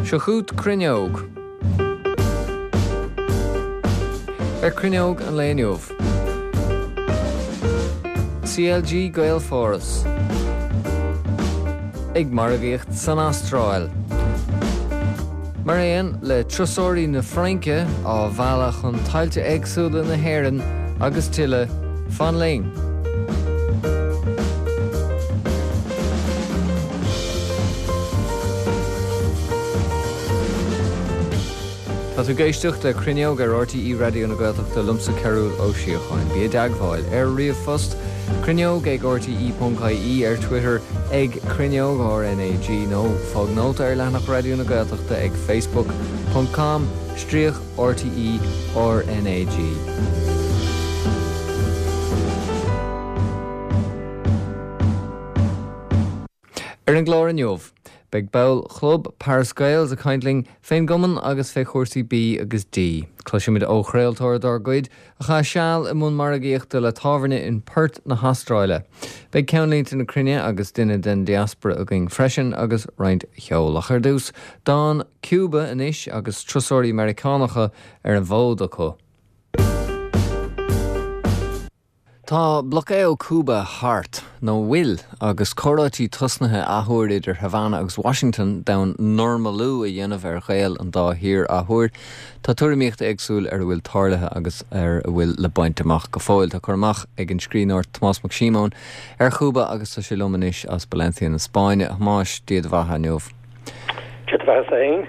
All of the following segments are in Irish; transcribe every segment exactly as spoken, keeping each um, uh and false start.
Seo chugat Cruinneog. Ar Cruinneog an lae inniu. CLG Gaelpháras. Ag margaíocht san Astráil. Mar aon le turasóirí na Fraince á mhealladh chun tailte éagsúla na hÉireann agus tuilleadh fan linn. Tá tú ag éisteacht le Cruinneog ar RTÉ Raidió na Gaeltachta liomsa Cearúl Ó Síocháin. Bí i dteagmháil ar ríomhphost cruinneog ag rte.ie ar Twitter ag cruinneog RNAG nó fág nóta ar leathanach Raidió na Gaeltachta ag facebook.com stríoc RTE RNAG. Ar an gclár inniu, beidh ball chlub Paris Gaels ag caint linn fén gcumann agus fé chúrsaí B agus D. Cloisfimid ó chraoltóir dár gcuid a chaith seal i mbun margaíochta le tábhairne in Perth na hAstráile. Beidh ceannlínte na cruinne agus duine den diaspora againn freisin agus roinnt cheoil ach ar dtús, dán Cuba anois agus turasóirí Meiriceánacha ar an bhfód acu. Tá bloqueo Cuba thart nó bhfuil agus comhráití tosnaithe athuair idir Havana agus Washington d'fhonn normalú a dhéanamh ar ghaol an dá thír athuair. Tá tuairimíocht éagsúil ar a bhfuil tarlaithe agus ar a bhfuil le baint amach go fóill. Tá cur amach ag an scríbhneoir Tomás Mac Síomóin ar Chúba agus tá sé liom anois as Valencia na Spáinne. Thomáis Dia do bheatha inniu. Dia do bheatha féin.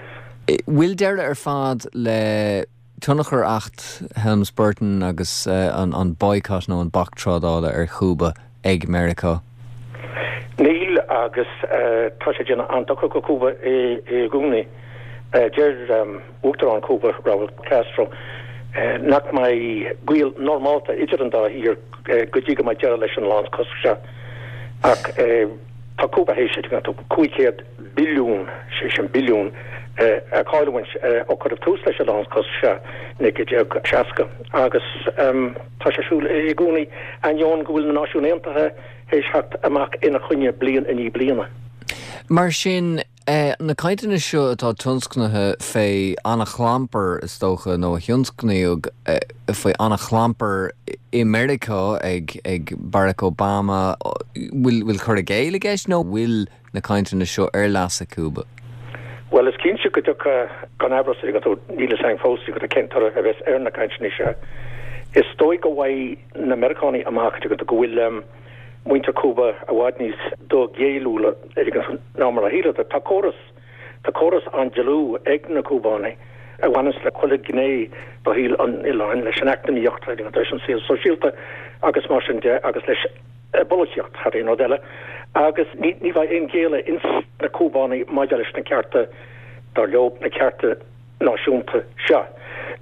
Bhfuil deireadh ar fad le tionchar Acht Helms Burton agus uh, an, an boycott nó an bac trádála ar Chúba ag Meiriceá? Níl agus uh, tá sé déanamh an-dochar go Cúba i, i gcónaí. Uh, deir um, Uachtarán Cúba Raúl Castro uh, nach mbeidh gaol normálta idir an dá thír uh, go dtí go mbeidh deireadh leis an lánchosc seo. Ach uh, tá Cúba théis cúig chéad billiún sé sin billiún a chailliúint ó cuireadh tús leis an lánchosc seo naoi déag seasca agus tá sé siúl i gcónaí ainneoin go bhfuil na Náisiúin Aontaithe théis theacht amach ina choinne bliain i ndiaidh bliana. Mar sin na cainteanna seo atá tionscnaithe fé an-chlampar is dócha nó a thionscnaíodh faoi an-chlampar i Meiriceá ag ag Barack Obama bhfuil bhfuil cur i gcéill i gceist nó bhfuil na cainteanna seo ar leasa Cúba? Well is cinnte go dtiocfaidh gan amhras go níl a fhios againn fós go cén toradh a bheas ar na cainteanna seo. Is dóigh go bhfaighidh na Meiriceánaigh amach go bhfuil um, muintir Cúba i bhfad níos doghéilliúla ná mar a shíleadar. Tá córas tá córas an-dlúth ag na Cúbánaigh a bhaineanns le chuile ghné de shaol an oileáin leis an eacnamaíocht leis an saol sóisialta agus mar sin de agus leis bpolaitíocht thar aon rud eile agus ní ní bheidh aon ghéilleadh ins na Cúbánaigh maidir leis na cearta dar leo na cearta náisiúnta seo.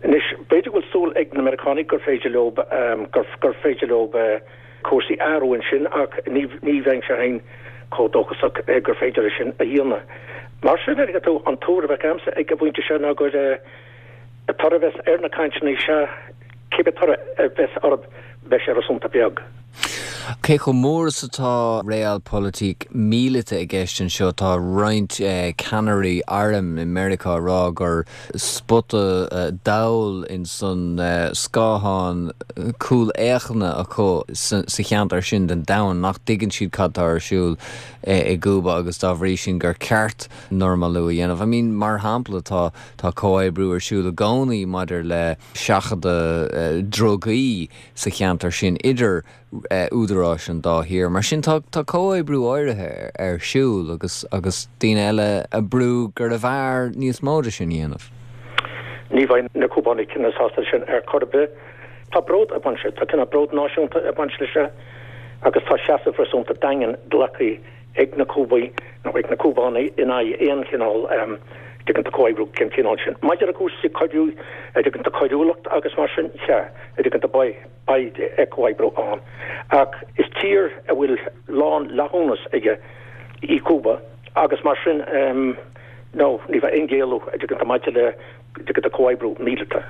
Anois b'fhéidir go bhfuil súil ag na Meiriceánaigh gur féidir leo um, gur, gur féidir leo uh, cúrsaí a athrú ansin ach ní ní bheinn sé féin chomh dóchasach eh, gur féidir sin a dhéanamh. Mar sin ar tú an tuairim a bheadh agamsa ag an bpointe seo ná gur uh, toradh a bheas ar na cainteanna seo cibé toradh a bheas orthu beidh sé réasúnta beag. Cé chomh mór is atá realpolitik míleata i gceist anseo tá roinnt eh, ceannairí airm i Meiriceá ag rá gur spota eh, dall in san eh, scáthán cúlfhéachana acu sa cheantar sin den domhan nach dtuigeann siad cad atá ar siúl i gCúba agus dá bhrí sin gur ceart normalú a dhéanamh. I mean mar shampla tá tá comhoibriú ar siúl i gcónaí maidir le seachadadh drugaí sa cheantar sin idir údaráis an dá thír. Mar sin tá tá comhoibriú áirithe ar siúl agus agus daoine eile ag brú gurbh fhearr níos mó de sin a dhéanamh. Ní bheidh na Cúbánaigh cineál sásta sin ar chor ar bith. Tá bród ag baint tá cineál bród náisiúnta ag baint leis seo agus tá seasamh réasúnta daingean glactha ag na Cúbaigh nó ag na Cúbánaigh in aghaidh aon chineál um, tuigeann tú comhoibriú den chineál sin. Maidir le cúrsaí coiriú tuigeann tú coiriúlacht agus mar sin sea tuigeann tú beidh beidh comhoibriú ann. Ach is tír a bhfuil lánfhlaithiúnas aige í Cúba agus mar sin um, no ní bheidh aon ghéilleadh tuigeann tú maidir le tuigeann tú comhoibriú míleata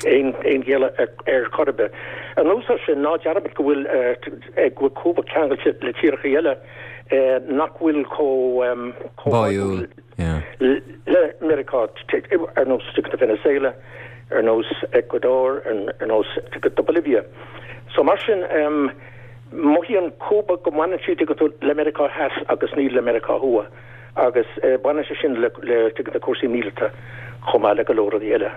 aon aon ghéilleadh ar, ar chor ar bith. Anuas air sin ná dearmad go bhfuil uh, go bhfuil Cúba ceangailte le tíortha eile uh, nach bhfuil chomh um, Báúil. le Mheiriceá ar nós Venezuela, ar nós Ecuador, ar nós Bolivia. So mar sin um, mothaíonn Cúba go mbaineann siad le Meiriceá Theas agus ní le Meiriceá Thuaidh agus eh, baineann sé sin le le cúrsaí míleata chomh maith le go leor rudaí eile.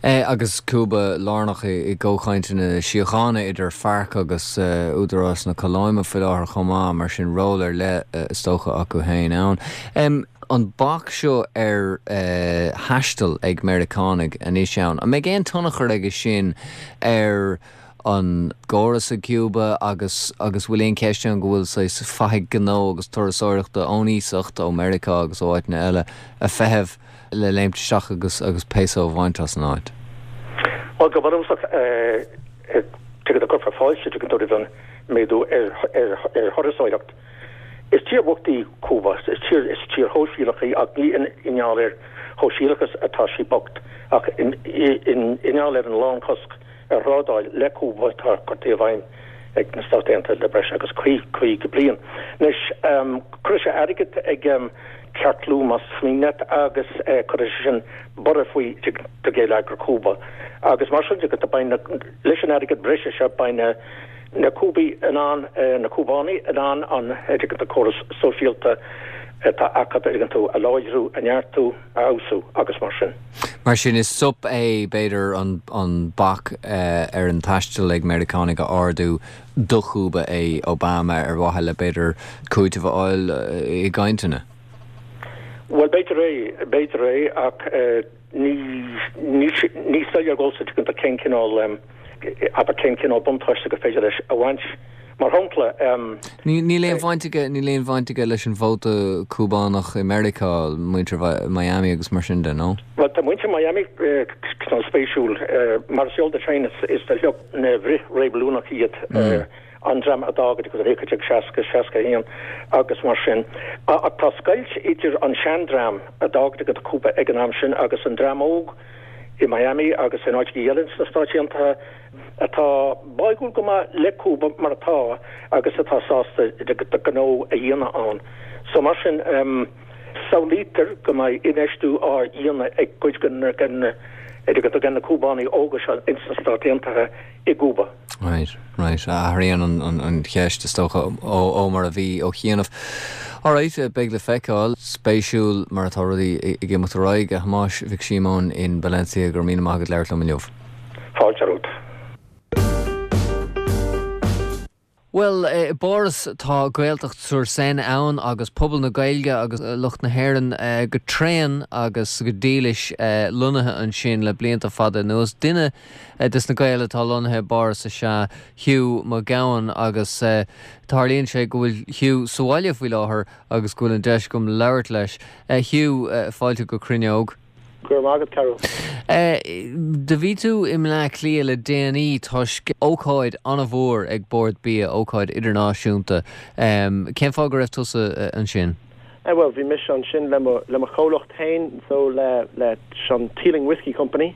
Eh, agus Cúba lárnach i gcomhchainteanna síochána idir FARC agus uh, Údarás na Colóime faoi láthair chomh maith mar sin ról ar leith uh, is dócha acu féin ann. Um, an bac seo ar uh, thaisteal ag Meiriceánaigh anois ann. An mbeidh aon tionchar aige sin ar an gcóras i Cuba agus agus bhfuil aon cheist ann go bhfuil saghas fathaigh gnó agus turasóireachta ón iasacht ó Meiriceá agus ó áiteanna eile ag feitheamh le léimt isteach agus agus peso a bhaint as an áit. Well go bunúsach tuige cuirfear fáilte roimh an méadú ar ar ar thurasóireacht. Is tír bhocht í Cúba, is tír is tír shóisialach í ach ní i ngeall ar shóisialachas atá sí bocht ach i ngeall ar an lánchosc ar thrádáil le Cúba atá curtha i bhfeidhm ag na Stáit Aontaithe le breis agus caoga bliain. Anois um, cuirfidh sé airgead ag um, ceartlú más mian leat agus uh, cuirfidh sé sin borradh faoi do gheilleagar Cúba. Agus mar sin go leis an airgead breise seo beidh na na Cúbaigh in ann uh, na Cúbánaigh in ann an uh, córas sóisialta atá acu tú a láidriú a neartú a fheabhsú agus mar sin. Mar sin is sop é b'fhéidir an, an bac uh, ar an taisteal ag Meiriceánaigh a ardú do Chúba é Obama ar mhaithe le b'fhéidir cúiteamh a fháil uh, i gcainteanna. Well b'fhéidir é b'fhéidir é ach uh, ní ní soiléir domhsa cén cineál um, aber cén cineál buntáiste gur féidir leis a bhaint mar shampla um, Níl aon bhaint aige níl aon bhaint aige leis an vóta Cúbánach i Meiriceá muintir Miami agus mar sin de nó? Well tá muintir Miami uh, spéisiúil uh, mar is eol duit is is de shliocht na bhfrith-reibiliúnach iad mm. uh, an dream a d'fhág go réice seasca seasca haon agus mar sin. A tá scoilt idir an seandream a d'fhág go Cúba ag an am sin agus an dream óg i Miami agus in áit eile sna Stáit Aontaithe atá báúil go maith le Cúba mar atá agus atá sásta de gnó a dhéanamh ann. So mar sin um, samhlaítear go mbeidh infheistiú á dhéanamh ag cuid den den na Cúbánaigh óga seo ins na Stáit Aontaithe i gCúba. Right, right. Athraíonn an, an, an cheist is dócha ó, ó mar a bhí ó chianaibh. Alright, beidh le feiceáil spéisiúil mar atá rudaí ag imeacht ar aghaidh a Thomáis Mhic Síomóin in Valencia go raibh míle maith agat labhairt liom inniu. Fáilte romhat. Well, i bPáras tá Gaeltacht sur Seine ann agus pobal na Gaeilge agus lucht na hÉireann uh, go tréan agus go dílis uh, lonnaithe ansin le blianta fada anuas duine uh, des na Gaeil atá lonnaithe i bPáras is ea Hugh Mac Gabhann agus uh, tarlaíonn sé go bhfuil Hugh sa bhaile faoi láthair agus go bhfuil an deis agam labhairt leis. Uh, Hugh uh, fáilte go Cruinneog. Go raibh maith agat Carol. Do bhí tú i mBleá Cliath le déanaí toisc ócáid an-mhór ag Bord Bia ócáid idirnáisiúnta. Um, cén fáth go raibh tusa uh, ansin? Eh, well bhí mise ansin le le mo chomhlacht féin so le le an Teeling Whiskey Company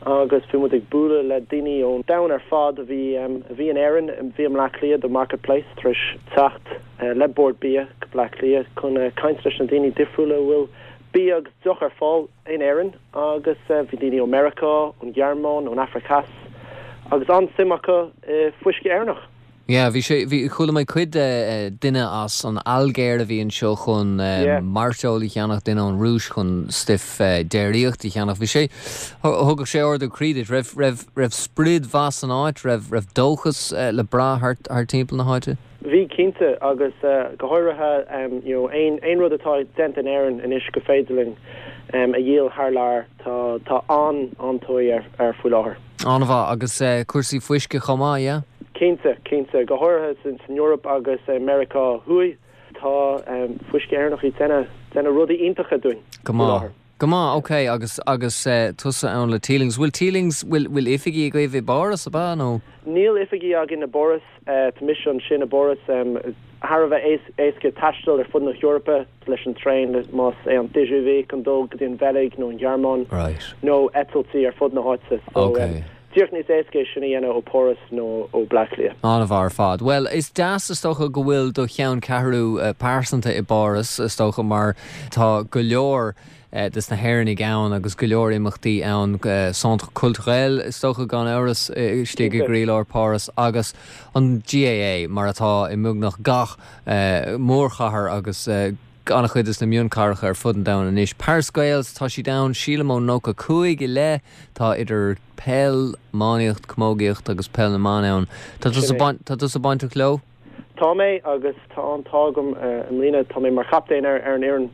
agus bhí muid ag bualadh le daoine ón domhan ar fad a bhí um, a bhí in Éirinn bhí i mBleá Cliath do Market Place tar éis teacht uh, le Bord Bia go Bleá Cliath chun uh, caint leis na daoine difriúla bhfuil bia agus deoch ar fáil in Éirinn agus uh, bhí daoine ó Meiriceá, ón Ghearmáin, ón Afraic Theas agus an-suim acu uh, fuisce Éireannach. Ja, bhí sé bhí chuala mé cuid uh, duine as an Ailgéir a bhí anseo chun uh, yeah. mairteoil a cheannach duine ón Rúis chun stuif uh, déiríochta a cheannach. Bhí sé thug sé ardú croí duit raibh raibh raibh sprid mhaith san áit, raibh raibh dóchas uh, le brath thart thar timpeall na háite? Bhí cinnte agus uh, go háirithe um, you know, aon aon rud atá déanta in Éirinn anois go féidir linn um, a dhíol thar lear tá tá an an-tóir ar, ar faoi láthair. An-mhaith agus uh, cúrsaí fuisce chomh maith, yeah? Cinnte cinnte go háirithe san san Europe agus uh, Meiriceá Thuaidh tá um, fuisce Éireannach ag déanamh déanamh rudaí iontacha dúinn. Go maith. Go maith, ok agus agus uh, tusa ann le Teelings. Bhfuil Teelings bhfuil bhfuil oifigí agaibh i bPáras ab ea nó? Níl oifigí againn i bPáras uh, tá mise ansin i bPáras um, thar a bheith éasca taisteal ar fud na hEorpa leis an traein más é an TGV chun dul go dtí an Bheilg nó an Ghearmáin right. nó eitiltí ar fud na háite. So, okay. um, díreach níos éasca sin a dhéanamh ó Páras nó ó Bleá Cliath. An-mhaith ar fad. Well, is deas is dócha go bhfuil do cheanncheathrú uh, pearsanta i bPáras is dócha mar tá go leor uh, des na hÉireannaigh ann agus go leor imeachtaí ann uh, Centre Culturel is dócha gan amhras istigh i gcroílár Páras agus an GAA mar atá i mbeagnach gach uh, mórchathair agus uh, an-chuid des na mionchathracha ar fud an domhain anois. Paris Gaels tá siad ann sílim ó nócha cúig i leith tá idir peil iománaíocht camógaíocht agus peil na mban ann. Tá tusa bainteach leo? Tá mé agus tá an t-ádh agam i mbliana tá mé mar chaptaen ar ar an fhoireann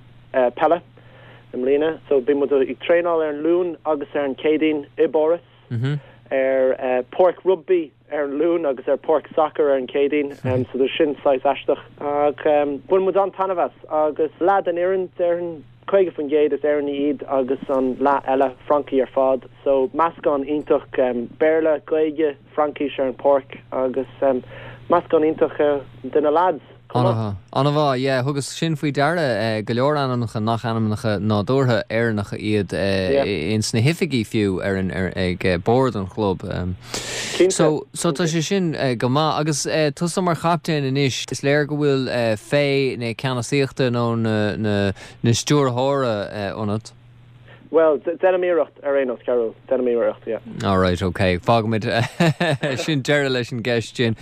peile i mbliana, so bíonn muid ag traenáil ar an Luan agus ar an Céadaoin i bPáras mm -hmm. ar uh, páirc rugby ar an Luan agus ar páirc soccer ar an Céadaoin um, so sin saghas aisteach ach um, baineann muid an-taitneamh as agus leath den fhoireann déarfainn caoga faoin gcéad is Éireannaigh iad agus an leath eile Francaigh ar fad so meascán iontach um, Béarla Gaeilge Fraincis ar an pháirc agus um, meascán iontach uh, de na lads. An-mhaith yeah, thugas sin faoi deara eh, go leor ainmneacha nach ainmneacha nádúrtha Éireannacha iad eh, ins na hoifigí fiú ar an ar, ag eh, bord an chlub. Um. So so tá sé sin uh, go maith agus uh, tusa mar chaptaen anois is léir go bhfuil uh, féith na ceannasaíochta nó na, na, na stiúrthóra uh, ionat. Well, déanaim iarracht ar aon nós Carol, déanaim iarracht yeah. All right, okay. Fágfaimid sin deireadh leis an gceist sin.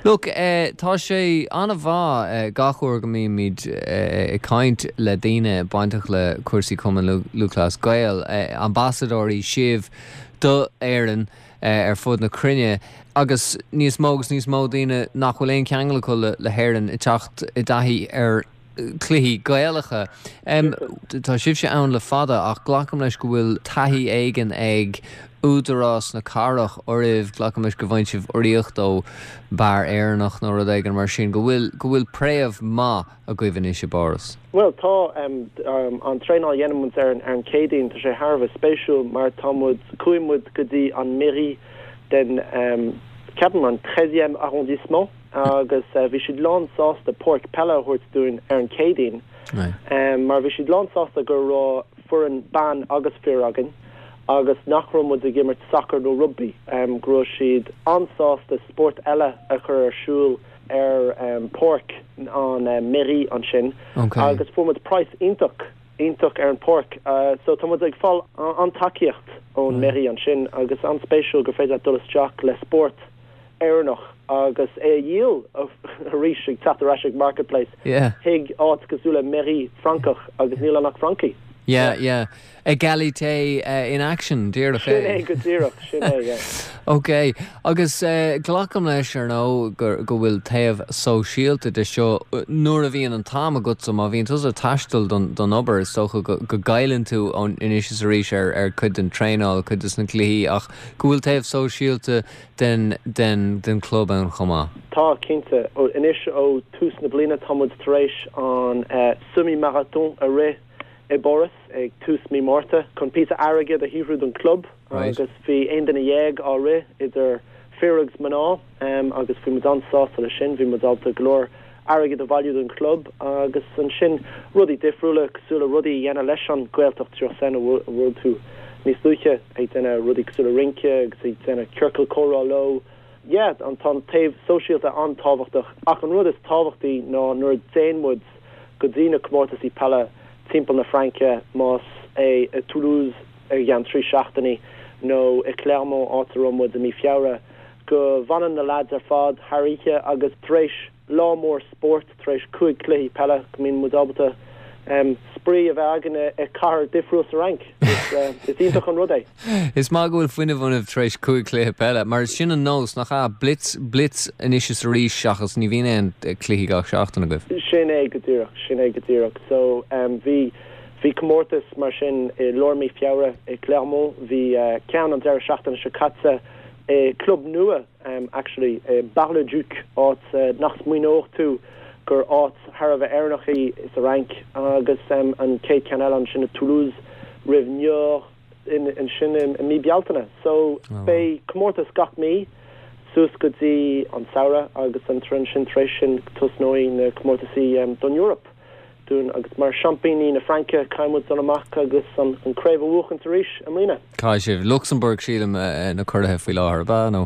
Look, uh, tá sé an-mhaith uh, gach uair go mbímid uh, ag caint le daoine bainteach le cúrsaí Cumann Lúthchleas Gael, uh, ambasadóirí sibh do Éirinn uh, ar fud na cruinne agus níos mó agus níos mó daoine nach bhfuil aon cheangal acu le, le hÉirinn ag teacht i dtaithí ar cluichí Gaelacha. Um, tá sibhse ann le fada ach glacaim leis go bhfuil taithí éigin ag údarás na cathrach oraibh glacaim leis go bhfaigheann sibh urraíocht ó beár Éireannach nó rud éigin mar sin go bhfuil go bhfuil préamh maith agaibh anois i bPáras. Well tá um, um, an traenáil a dhéanann muid ar an ar an Céadaoin tá sé thar a bheith spéisiúil mar tá muid chuaigh muid go dtí an mairie den um, ceapaim an treizième arrondissement agus uh, bhí siad lán sásta páirc peile a thabhairt dúinn ar an Céadaoin um, mar bhí siad lán sásta go raibh foireann ban agus fir againn agus nach raibh muid ag imirt soccer nó rugby um, go raibh siad an-sásta spórt eile a chur ar siúl ar um, páirc an uh, mairie ansin okay. agus fuair muid praghas iontach iontach ar an pháirc uh, so tá muid ag fáil an tacaíocht ón mm. mairie ansin agus an-spéisiúil gur féidir dul isteach le spórt Éireannach agus é a dhíol arís ag teacht ar ais ag marketplace yeah. chuig áit cosúil le mairie Francach agus níl ann ach Francaigh. Yeah, yeah. Égalité uh, in action díreach Sin é go díreach sin é yeah. Ok, agus uh, glacaim leis ar nó go go bhfuil taobh sóisialta de seo nuair a bhíonn an t-am agat so má bhíonn tusa ag taisteal don don obair is dócha go, go gcailleann tú ón anois is arís ar ar cuid den traenáil cuid des na cluichí ach go bhfuil taobh sóisialta den den den club ann chomh maith. Tá cinnte ó anois ó tús na bliana tá muid tar éis an uh, semi-marathon a rith i bPáras ag tús mí Márta chun píosa airgid a shaothrú don club Right. agus bhí aon duine dhéag á rith idir fir agus mná um, agus bhí muid an-sásta le sin bhí muid ábalta go leor airgid a bhailiú don club agus ansin rudaí difriúla cosúil le rudaí a dhéanamh leis an Gaeltacht seo sen a bhfuil tú níos luaithe ag déanamh rudaí cosúil le rince agus ag déanamh ciorcal comhrá leo. Yeah, an tá taobh sóisialta an-tábhachtach ach an rud is tábhachtaí ná nuair a théann muid go dtí na comórtaisí peile timpeall na Fraince más é i Toulouse i gceann trí seachtainí nó i Clermont áit a raibh muid i mí Feabhra go bhfanann na lads ar fad thar oíche agus tar éis lá mór spórt tar éis cúig cluichí peile go mbíonn muid ábalta um, spraoi a bheith againn i cathair difriúil sa Fhrainc. Is, uh, is iontach an rud é. Is maith go bhfuil fuinneamh ionaibh tar éis cúig cluiche peile, mar sin an nós nach ea blitz blitz anois is arís seachas ní bhíonn aon cluichí gach seachtain agaibh. Sin é go díreach, sin é go díreach. So um, bhí bhí comórtas mar sin i lár mí Feabhra i Clermont, bhí uh, ceann an deireadh seachtaine seo caite i club nua um, actually uh, Bar-le-Duc áit uh, nach smaoineodh tú gur áit thar a bheith Éireannach í sa Fhrainc agus um, an chéad cheann eile ansin i Toulouse roimh Niort in, in sin i, i mí Bealtaine. So Oh. beidh comórtas gach mí suas go dtí an samhradh agus an trin sin tar éis sin tosnóidh na comórtaisí um, don Europe. dúinn agus mar seaimpíní na Fraince caithfidh muid dul amach agus an an craobh a bhuachan arís i mbliana. Caithfidh sibh Lucsamburg sílim na curaithe faoi láthair ab ea nó?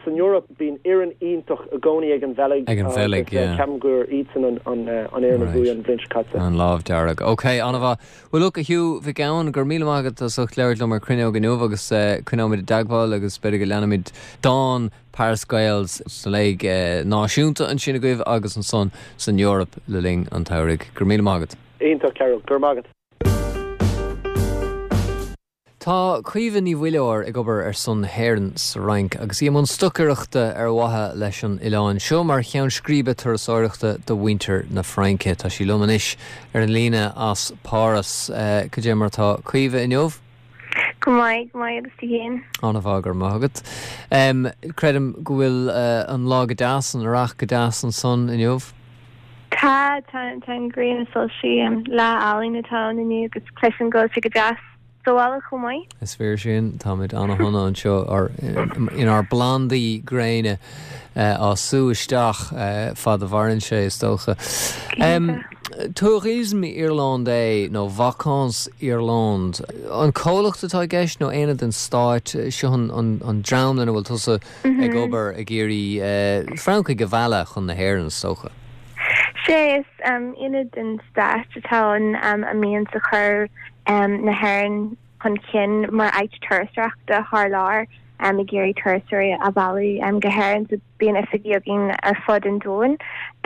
San Eoraip bíonn fhoireann iontach i gcónaí ag an Bheilg Ag an Bheilg, yeah. Ceapaim gur iadsan an an an fhoireann a bhuaigh an bhliain seo caite. An lámh dearg. Ok, an-mhaith. Well look a Hugh Mhic Gabhann, go raibh míle maith agat as ucht labhairt liom ar Cruinneog inniu agus coinneoimid i dteagmháil agus b'fhéidir go leanfaimid dán Paris Gaels sa léig náisiúnta ansin agaibh agus ansan san Eoraip le linn an tsamhraidh. Go raibh míle maith agat. Iontach Cearúil, go raibh maith agat. Tá Caoimhe Ní Mhuilleoir ag obair ar son na hÉireann sa Fhrainc agus í i mbun stocaireachta ar mhaithe leis an oileán seo mar cheann scríbe turasóireachta do mhuintir na Fraince. Tá sí liom anois ar an líne as Páras. Cad é mar tá Caoimhe inniu? Go maith go maith agus tú féin. An-mhaith go raibh maith agat. Um, creidim go bhfuil uh, an lá go deas an earrach go deas ansan inniu? Tá tá tá an ghrian ag soilsiú lá álainn atá ann inniu agus cloisim go bhfuil sé go deas sa bhaile chomh maith. Is fíor sin táimid an-shona anseo ar inár bplandaí gréine uh, á sú isteach uh, fad a mhaireann sé is dócha. Um, Tourisme Irlandais nó Vacances Irlande. An comhlacht atá i gceist nó aonad den stáit seo an, an, an dream lena bhfuil tusa mm -hmm. ag obair ag iarraidh uh, Francaigh a mhealladh chun na hÉireann is dócha. Sé is um, aonad den stát atá ann um, a mbíonn ag cur um, na hÉireann chun cinn mar áit turasóireachta thar lear um, ag iarraidh turasóirí a mhealladh um, go hÉirinn so bíonn oifigí againn ar fud an domhain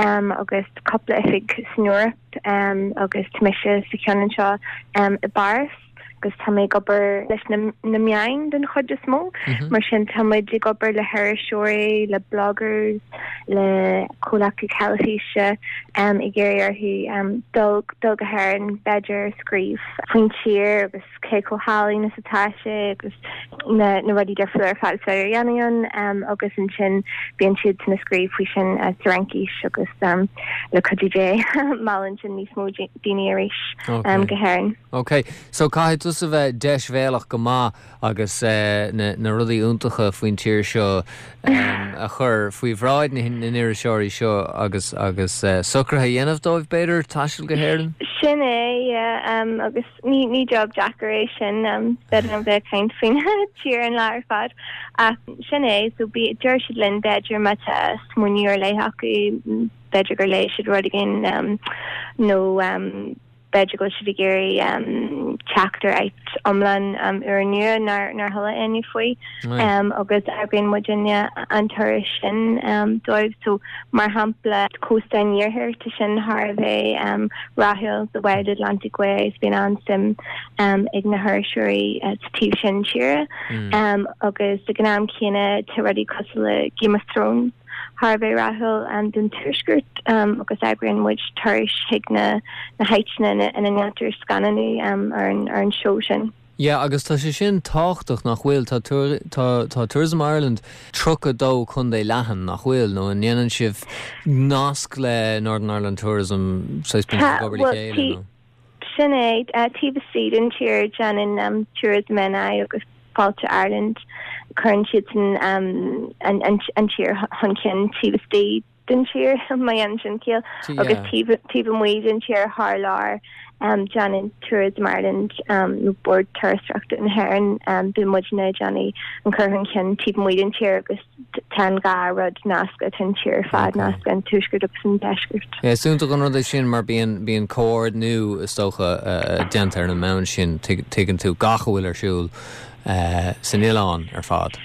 um, agus cúpla oifig san Eoraip um, agus tá mise sa cheann anseo um, i bPáras agus tá mé ag obair leis na, na meáin den chuid is mó mm -hmm. mar sin tá muid ag obair le hiriseoirí le bloggers le comhlachtaí teilifíse um, ag iarraidh orthu um, dul dul go hÉirinn b'fhéidir scríobh faoin tír agus cé chomh hálainn is atá sé agus na, na rudaí difriúla ar fad a dhéanamh um, agus ansin bíonn siad ag scríobh faoi sin uh, sa Fhraincis agus um, le cuidiú Dé meallann sin níos mó daoine arís okay. um, go hÉirinn. Ok, so caithfidh tusa bheith deisbhéalach go maith agus uh, na, na rudaí iontacha faoin tír seo um, a chur faoi bhráid na n-iriseoirí seo agus agus uh, socruithe a dhéanamh dóibh b'fhéidir taisteal go hÉirinn? Sin é yeah, um, agus ní ní job deacair é sin um, b'fhéidir an bheith caint faoin tír an lá ar fad ach sin é so bí deir siad linn b'fhéidir má tá smaoineamh ar leith acu b'fhéidir gur léigh siad rud éigin um, nó um, b'fhéidir go siad ag iarraidh um, teacht ar áit iomlán um, úrnua nár nár chuala éinne faoi um, agus eagraíonn muidinne an turas sin um, dóibh so mar shampla cósta an iarthair tá sin thar a bheith um, rathúil the Wild Atlantic Way bíonn an-suim um, ag na hiriseoirí uh, sa taobh sin tíre mm. um, agus ag an am céanna tá rudaí cosúil le Game of Thrones thar a bheith rathúil um, don tuaisceart um, agus eagraíonn muid turais chuig na na háiteanna ina ndéantar scannánú um, ar an ar an seó sin. Ja, agus tá sé sin tábhachtach nach bhfuil tá tá tá Tourism Ireland tríocha dó chontae leathan nach bhfuil nó an ndéanann sibh nasc le Northern Ireland Tourism chéile. Sin é uh, taobh istigh den tír déanann um, Tourism NI agus Fáilte Ireland cuireann siad san um, an, an, an tír chun cinn taobh istigh den tír má dhéanann sin ciall agus taobh amuigh den tír thar lear um, déanann Tourism Ireland um, nó Bord Turasóireachta na hÉireann um, bíonn muidne ag déanamh an cur chun cinn taobh amuigh den tír agus tá an dhá rud nasctha an tír fad nasctha an tuaisceart agus an deisceart. Is iontach an rud é sin mar bíonn bíonn comhordú is dócha uh, déanta ar an mbonn sin tuigeann tú gach a bhfuil ar siúl uh, san oileán ar fad.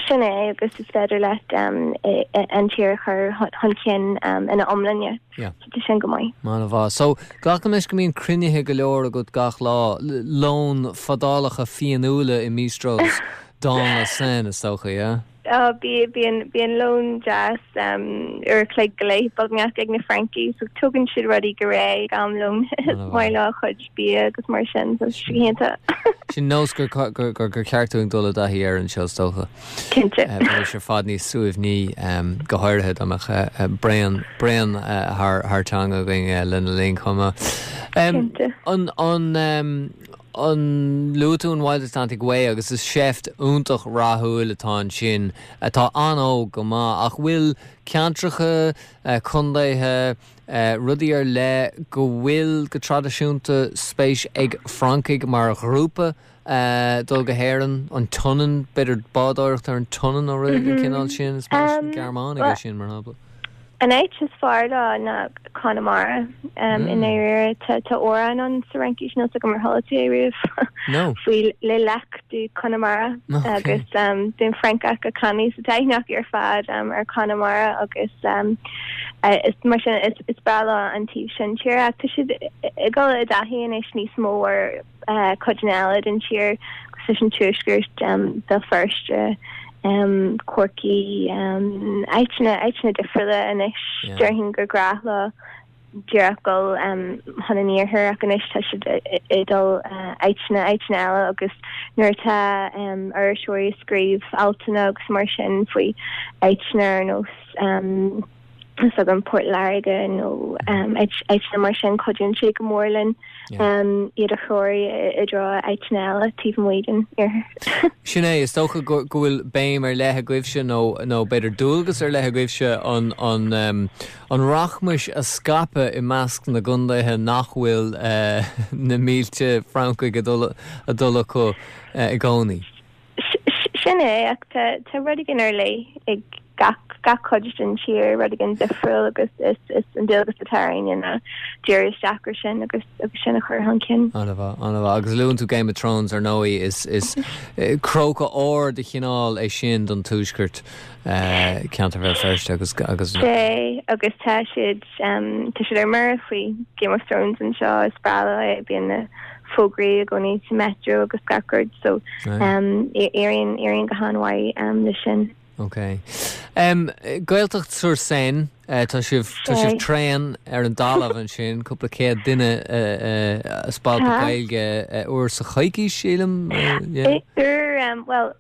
Sin é agus is féidir leat um, an tír chur chun cinn um, ina iomláine. Tá sin go maith. An-mhaith. So glacaim leis go mbíonn cruinnithe go leor agat gach lá lón fadálacha fíonúla i mbistros dans la Seine is dócha, yeah? Oh, bí bíonn bíonn lón deas um, uair a chloig go leith beagnach ag na Francaigh, so tugann siad rudaí go réidh am lón maith le chuid bia agus mar sin so iontach. Sin nós gur gur gur gur ceart dúinn dul i dtaithí air anseo is dócha. Cinnte. Bhí sé fad níos suaimhní go háirithe dá mbeadh braon braon thar thar teanga againn lena linn chomh maith. Cinnte. An an um, An luaigh tú an Wild Atlantic Way agus is seift iontach rathúil atá ansin atá an-óg go maith ach bhfuil ceantracha, contaetha, rudaí ar leith go bhfuil go traidisiúnta spéis ag Francaigh mar ghrúpa dul go hÉirinn, an tSionainn, b'fhéidir bádóireacht ar an tSionainn nó rud den chineál sin, is maith leis na Gearmánaigh é sin mar shampla. An áit is fearr leo ná Conamara i ndáiríre. Tá amhrán ann sa Fhraincis, níl 's agam ar chuala tú é riamh, faoi Les Lacs du Connemara agus bíonn Francach ag canadh sa taithneach ar fad ar Conamara agus is mar sin is breá leo an taobh sin tíre ach tá siad ag dul i dtaithí anois níos mó ar codanna eile den tír cosúil leis an Tuaisceart, Béal Feirste, Corcaigh, áiteanna, áiteanna difriúla anois. Déarfainn gur gnách leo díreach dul chun an iarthair ach anois tá siad ag dul áiteanna, áiteanna eile agus nuair atá iriseoirí ag scríobh altanna agus mar sin faoi áiteanna ar nós 's agam Port Láirge nó áiteanna mar sin cuidíonn sé go mór linn iad a threorú i dtreo áiteanna eile taobh amuigh den iarthar. Sin é, is dócha go bhfuil béim ar leith agaibhse nó nó b'fhéidir dualgas ar leith agaibhse an an an rachmais a scaipeadh i measc na gcontaetha nach bhfuil na mílte Francaigh ag dul ag dul acu i gcónaí. Sin é, ach tá rud éigin ar leith ag gach gach cuid den tír, rud éigin difriúil agus is is an dualgas atá orainn ná díriú isteach ar sin agus agus sin a chur chun cinn. An-mhaith, an-mhaith. Agus luann tú Game of Thrones ar ndóigh, is is cróca óir de chineál é sin don Tuaisceart, ceantar Bhéal Feirste agus agus. Sea, agus tá siad tá siad ar mire faoi Game of Thrones anseo, is breá leo é, bíonn na fógraí i gcónaí sa metro agus gach rud so éiríonn éiríonn go han-mhaith leis sin. Ok. Um, Gaeltacht sur Seine, uh, tá sibh tá sibh tréan ar an dtalamh ansin, cúpla céad duine uh, uh, spalpadh Gaeilge uh, uair sa choicís sílim? Uh, yeah. Uair, um, well,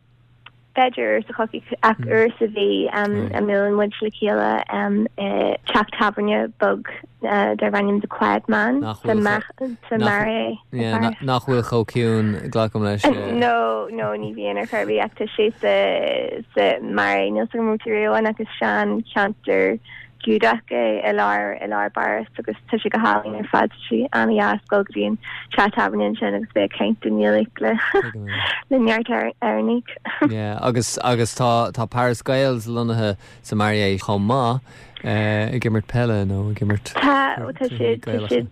b'fhéidir uair sa choicís ach uair sa mhí a mbuaileann muid le chéile i teach tábhairne beag darb ainm The Quiet Man sa Marais. Nach bhfuil chomh ciúin, glacaim leis. No, no, ní bhíonn ar chor ar bith ach tá sé sa sa Marais níl 's agam an raibh tú riamh ann ach is seancheantar Giúdach é i lár i lár bPáras agus tá sé go hálainn ar fad. Tá sé an-dheas dul go dtí an teach tábhairne ansin agus bheith ag caint i nGaeilge le le neart Éireannaigh. Yeah, agus agus tá tá Paris Gaels lonnaithe sa Marais chomh maith eh, ag imirt peile nó ag imirt Tá tá siad tá siad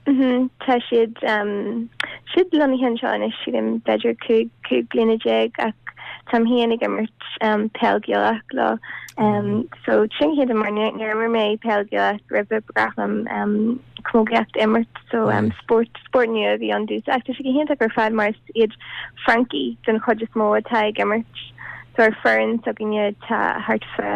mhm, tá siad um, siad lonnaithe anseo anois sílim b'fhéidir cúig cúig bliana déag ach táim féin ag imirt um, peil Ghaelach leo. Um, so sin chéad mar níor imir mé peil Ghaelach roimhe ba ghnách liom um, camógaíocht a imirt so um, spórt spórt nua a bhí ann domhsa. Ach tá sé go hiontach ar fad mar is iad Francaigh den chuid is mó atá ag imirt. So ar foireann s'againne tá thart fá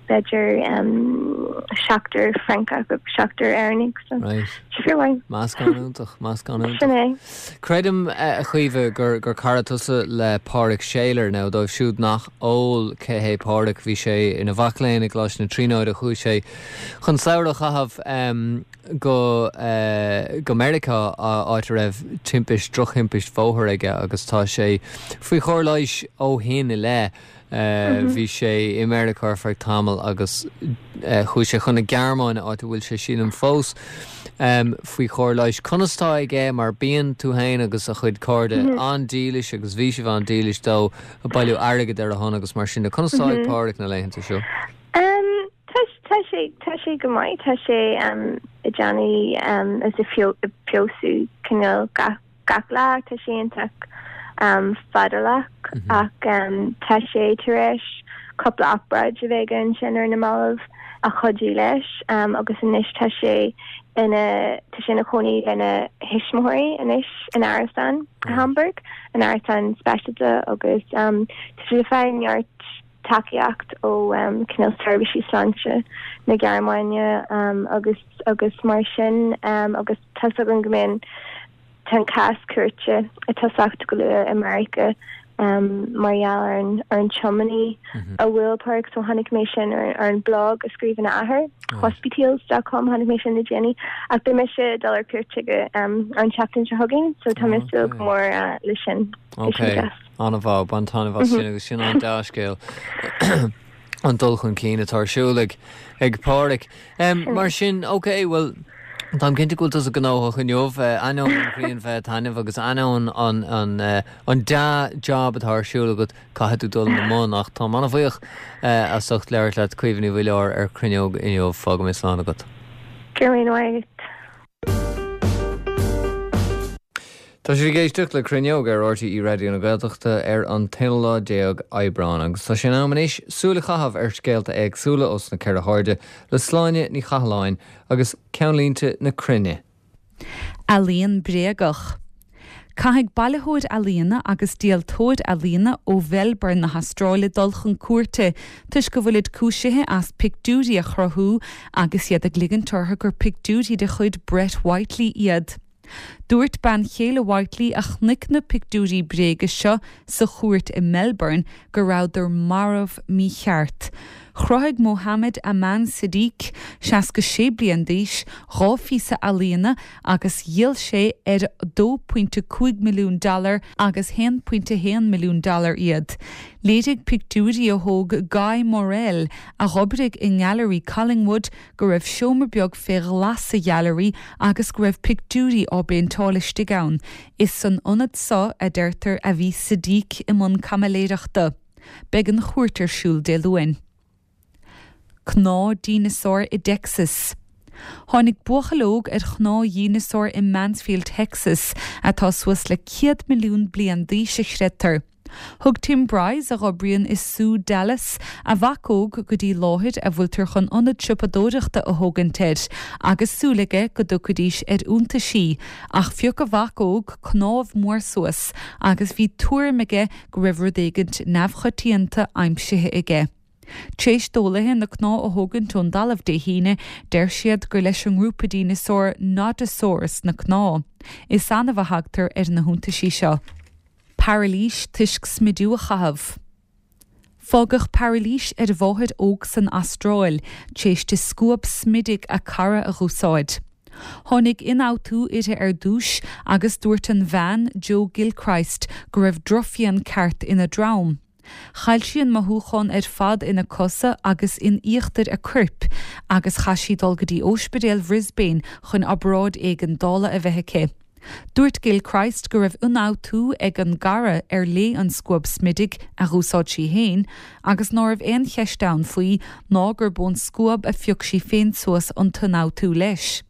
b'fhéidir um, seachtar Francach agus seachtar Éireannaigh so Right. sé fíormhaith. Meascán iontach, meascán iontach. Sin é. Creidim eh, a Chaoimhe gur gur cara tusa le Pádraig Saylor nó dóibh siúd nach eol cé hé Pádraig bhí sé ina mhac léinn i gColáiste na Tríonóide chuaigh sé chun samhradh a chaitheamh um, go uh, go Meiriceá áit a raibh timpist drochthimpist bhóthair aige agus tá sé faoi chóir leighis ó shin i leith. Uh, bhí sé i Meiriceá ar feadh tamall agus uh, chuaigh sé chun na Gearmáine áit a bhfuil sé sílim fós um, faoi chóir leighis. Conas tá aige mar bíonn tú féin agus a chuid cairde mm -hmm. an-dílis agus bhí sibh an-dílis dó ag bailiú airgid ar a shon agus mar sin de conas tá ag Pádraig na laethanta seo. Um, tá tá sé tá sé go maith tá sé um, ag déanamh um, is ag feabhsú cineál gach gach lá tá sé iontach um, fadálach mm -hmm. ach um, tá sé tar éis cúpla obráid a bheith aige ansin ar na mallaibh a chuidigh leis um, agus anois tá sé ina tá sé ina chónaí lena thuismitheoirí anois in árasán mm. Hamburg an árasán speisialta agus um, tá sé ag fáil neart tacaíocht ó um, cineál seirbhísí sláinte na Gearmáine um, agus agus mar sin um, agus tá an go mbíonn tá an cás cúirte ag tosacht go luath i Meiriceá um, mar gheall ar an ar an tiománaí mm -hmm. a bhuail Pádraig so chonaic mé sin ar, ar an blog a scríobh a athair Hospitales dot com tháinig mé sin le déanaí ach beidh mise ag dul ar cuairt chuige um, an tseachtain seo chugainn so tá mé ag súil go mór uh, le sin. Ok, an-mhaith, bain taitneamh as sin agus sin an dea-scéal an dul chun cinn atá ar siúl ag ag Pádraig. Um, mar sin, ok, well, Táim cinnte go bhfuil tusa gnóthach inniu, ainneoin an ghrian bheith ag taitneamh agus ainneoin an an an dea-job atá ar siúl agat caithfidh tú dul ina mbun ach táim an-bhuíoch as ucht labhairt leat Caoimhe Ní Mhuilleoir ar Cruinneog inniu fágaim slán agat. Go raibh míle maith agat. Tá sibh ag éisteacht le Cruinneog ar RTÉ Raidió na Gaeltachta ar an t-aonú lá déag Aibreán agus tá sé in am anois súil a chaitheamh ar scéalta éagsúla os na ceithre hairde le Sláine Ní Chathalláin agus Ceannlínte na Cruinne. Ealaíon bréagach. Caithfidh bailitheoir ealaíona agus díoltóir ealaíona ó Mhelbourne na hAstráile dul chun cúirte toisc go bhfuilid cúisithe as pictiúirí a chruthú agus iad ag ligint orthu gur pictiúirí de chuid Brett Whiteley iad. Dúirt bean chéile Whiteley a chonaic na pictiúirí bréige seo sa chúirt i Melbourne go rabhadar marbh mícheart. Chruthaigh Mohammed Aman Siddiq, seasca sé bliain d'aois, dhá phíosa ealaíona agus dhíol sé ar dó pointe cúig milliún dollar agus haon pointe haon milliún dollar iad. Léirigh pictiúirí a thóg Guy Morel, a dh'oibrigh i nGailearaí Collingwood, go raibh seomra beag fé ghlas sa ghailearaí agus go raibh pictiúirí á bpéinteáil istigh ann. Is san ionad seo, a deirtear, a bhí Siddiq i mbun caimiléireachta. Beidh an chúirt ar siúl Dé Luain. Cnámh dineasáir i dTexas. Tháinig buachaill óg ar chnámh dhineasáir i Mansfield, Texas, atá suas le céad milliún bliain d'aois a chreidtear. Thug Tim Bryce, a dh'oibríonn i Sú Dallas, a mhac óg go dtí láthair a bhfuiltear chun ionad siopadóireachta a thógaint air agus súil aige go dtiocfaidís ar iontaisí, ach phioc a mhac óg cnámh mór suas agus bhí tuairim aige go raibh rud éigint neamhchoitianta aimsithe aige. Tréis d'eolaithe na cnámha a thógaint ón dtalamh Dé hAoine, deir siad gur leis an ngrúpa dineasár Nodosaurus na cnámha. Is annamh a thagtar ar na hiontaisí seo. Parilís toisc smidiú a chaitheamh. Fágadh parilís ar mháthair óg san Astráil tréis di scuab smididh a cara a dh'úsáid. Tháinig ionfhabhtú uirthi ar dtús agus dúirt an bhean, Jo Gilchrist, go raibh drochphian ceart ina drom. Chaill sí an mothúchán ar fad ina cosa agus in íochtar a coirp agus chaith sí dul go dtí Ospidéal Bhrisbane chun obráid éigeandála a bheith aici. Dúirt Gilchrist go raibh ionfhabhtú ag an gcara ar léi an scuab smididh a dh'úsáid sí féin agus ná raibh aon cheist ann faoi ná gurb ón scuab a phioc sí féin suas an t-ionfhabhtú leis.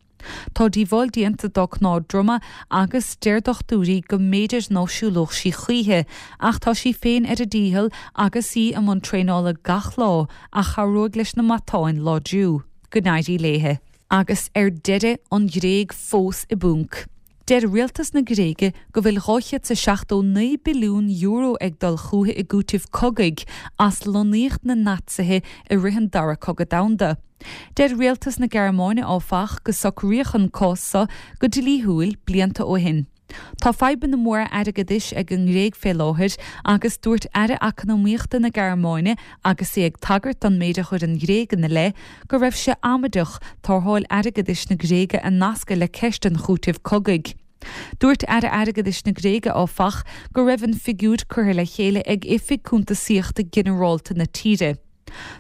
Tá díobháil déanta dá cnámh droma agus deir dochtúirí go mb'fhéidir ná siúlódh sí choíche ach tá sí féin ar a dícheall agus í i mbun traenála gach lá a chabhróidh leis na matáin láidriú. Go n-éirí léi. Agus ar deireadh, an Ghréig fós i bponc. Deir rialtas na Gréige go bhfuil dhá chéad 's a seachtó naoi billiún euro ag dul chucu i gcúiteamh cogaidh as lonnaíocht na Naitsithe i rith an Dara Cogadh Domhanda. Deir rialtas na Gearmáine, áfach, go socraíodh an cás seo go dlíthiúil blianta ó shin. Tá fadhbanna móra airgeadais ag an nGréig fé láthair agus dúirt Aire Eacnamaíochta na Gearmáine agus é ag tagairt don méid a chuir an Ghréig ina leith go raibh sé amaideach tarrtháil airgeadais na Gréige a nascadh le ceist an chúitimh cogaidh. Dúirt Aire Airgeadais na Gréige, áfach, go raibh an figiúr curtha le chéile ag Oifig Cuntasaíochta Ginearálta na tíre.